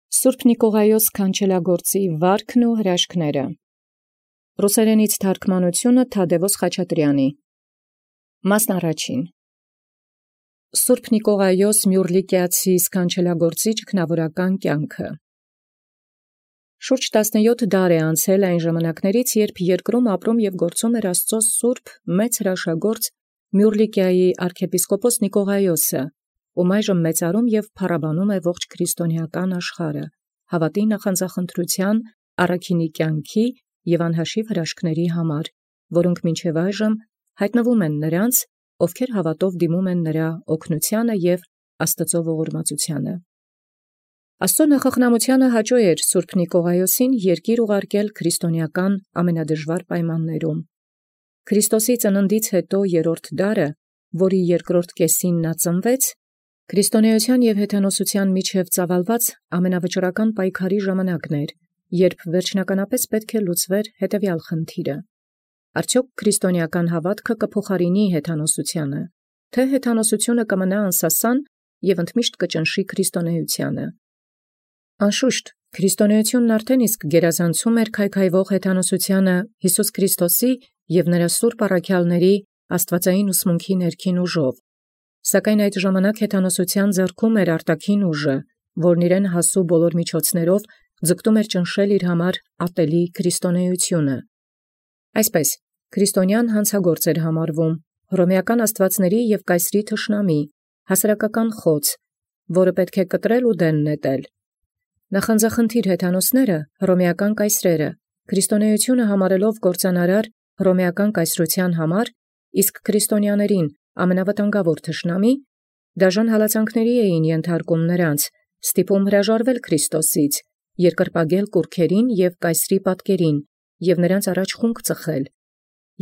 Սուրբ Նիկողայոս Քանչելագործի վարքն ու հրաշքները։ Ռուսերենից թարգմանությունը Թադևոս Խաչատրյանի։ Մասն առաջին։ Սուրբ Նիկողայոս Մյուռլիկիացի սքանչելագործի ճգնավորական կյանքը։ Շուրջ 17 դար է անցել այն ժամանակներից, երբ երկրում ապրում և գործում էր Աստծո սուրբ մեծ հրաշագործ Մյուռլիկիայի arczepiskopos Նիկողայոսը, ում այժմ մեծարում և փառաբանում է ողջ քրիստոնեական աշխարհը, հավատի նախանձախնդրության, առաքինի կյանքի և անհաշիվ հրաշքների համար, որոնք մինչև այժմ հայտնվում են նրանց, ովքեր հավատով դիմում են նրա օգնությանը և Աստծո ողորմածությանը։ Աստծո նախախնամությանը հաճո էր Սուրբ Նիկողայոսին երկիր ուղարկել քրիստոնեական ամենադժվար պայմաններում։ Քրիստոսի ծննդից հետո երրորդ դարը, որի երկրորդ կեսին նա ծնվեց, քրիստոնեության և հեթանոսության միջև ծավալված ամենավճռական պայքարի ժամանակն էր, երբ վերջնականապես պետք է լուծվեր հետևյալ խնդիրը. արդյոք քրիստոնեական հավատքը կփոխարինի հեթանոսությանը, թե հեթանոսությունը կմնա անսասան և ընդմիշտ կճնշի քրիստոնեությանը։ Անշուշտ, քրիստոնեությունն արդեն իսկ գերազանցում էր քայքայվող հեթանոսությանը Հիսուս Քրիստոսի և նրա սուրբ առաքյալների աստվածային ուսմունքի ներքին ուժով, սակայն այդ ժամանակ հեթանոսության ձեռքում էր արտաքին ուժը, որն իրեն հասու բոլոր միջոցներով ձգտում էր ճնշել իր համար ատելի քրիստոնեությունը։ Այսպես, քրիստոնյան հանցագործ էր համարվում, հռոմեական աստվածների և կայսրի թշնամի, հասարակական խոծ, որը պետք է կտրել ու դեն նետել։ Նախանձախնդիր հեթանոսները, հռոմեական կայսրերը, քրիստոնեությունը համարելով կործանարար հռոմեական կայսրության համար, իսկ քրիստոնյաներին ամենավտանգավոր թշնամի, դաժան հալածանքների էին ենթարկում նրանց, ստիպում հրաժարվել Քրիստոսից, երկրպագել կուռքերին և կայսրի պատկերին և նրանց առաջ խունկ ծխել։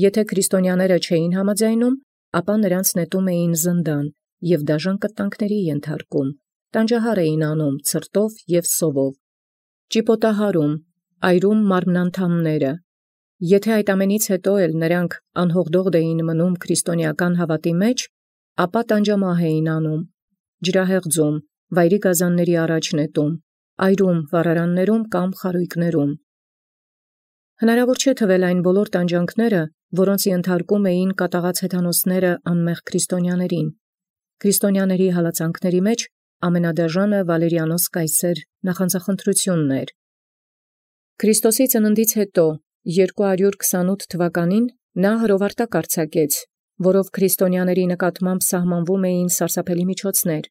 Եթե քրիստոնյաները չէին համաձայնում, ապա նրանց նետում էին զնդան և դաժան կտանքների ենթարկում, տանջահար էին անում ցրտով և սովով, ճիպոտահարում, այրում մարմնանդամները։ Եթե այդ ամենից հետո էլ նրանք անհողդողդ էին մնում քրիստոնեական հավատի մեջ, ապա տանջամահ էին անում, ջրահեղձում, վայրի գազանների առաջ նետում, այրում վառարաններում կամ խարույկներում։ Հնարավոր չէ թվել այն բոլոր տանջանքները, որոնց ենթարկում էին կատաղած հեթանոսները անմեղ քրիստոնյաներին։ Քրիստոնյաների հալածանքների մեջ ամենադաժանը Վալերիանոս կայսեր նախանձախնդրությունն էր։ Քրիստոսի ծննդից հետո 228 թվականին նա հրովարտակ արձակեց, որով քրիստոնյաների նկատմամբ սահմանվում էին սարսափելի միջոցներ։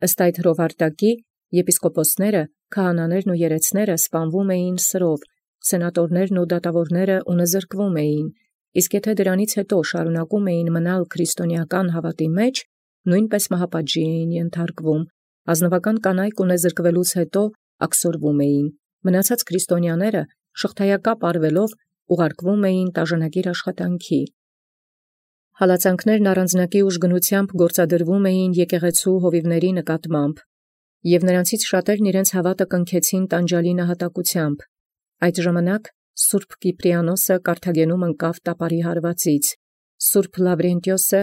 Ըստ այդ հրովարտակի եպիսկոպոսները, քահանաներն ու երեցները սպանվում էին սրով, սենատորներն ու դատավորները ունզրկվում էին, իսկ եթե դրանից հետո շարունակում էին մնալ քրիստոնեական հավատի մեջ, նույնպես մահապատժի էին ենթարկվում, ազնվական կանայք ունզրկվելուց հետո աքսորվում էին, մնացած քրիստոնյաները շղթայակապ արվելով ուղարկվում էին տաժանակիր աշխատանքի։ Հալածանքներն առանձնակի ուժգնությամբ գործադրվում էին եկեղեցու հովիվների նկատմամբ, և նրանցից շատերն իրենց հավատը կնքեցին տանջալի նահատակությամբ։ Այդ ժամանակ Սուրբ Կիպրիանոսը Կարթագենում ընկավ տապարի հարվածից, Սուրբ Լավրենտիոսը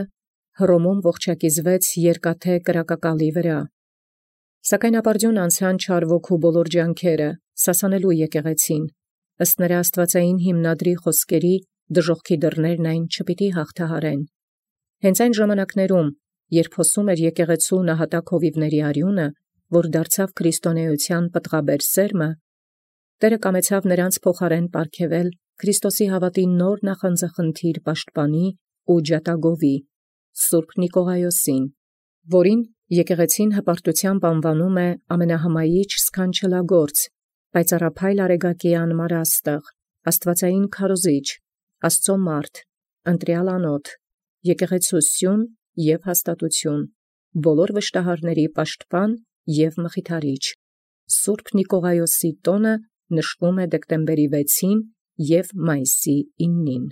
Հռոմում ողջակիզվեց երկաթե կրակակալի վրա։ Սակայն ապարդյուն անցան չար ոգու բոլոր ջանքերը, սասանելու եկեղեցին, ըստ նրա աստվածային հիմնադրի խոսքերի, դժոխքի դռներն այն չպիտի հաղթահարեն։ Հենց այն ժամանակներում, երբ հոսում էր եկեղեցու նահատակ հովիվների արյունը, որ դարձավ քրիստոնեության պտղաբեր սերմը, Տերը կամեցավ նրանց փոխարեն պարգևել Քրիստոսի հավատի նոր նախանձախնդիր պաշտպանի ու ջատագովի, Սուրբ Նիկողայոսին, որին եկեղեցին հպարտությամբ անվանում է ամենահմայիչ սքանչելագործ, պայծառափայլ արեգակի անմարաստղ, աստվածային քարոզիչ, Աստծո մարդ, ընտրյալ անոթ, եկեղեցու սյուն և հաստատություն, բոլոր վշտահարների պաշտպան և մխիթարիչ։ Սուրբ Նիկողայոսի տոնը նշվում է դեկտեմբերի 6-ին և մայիսի 9-ին։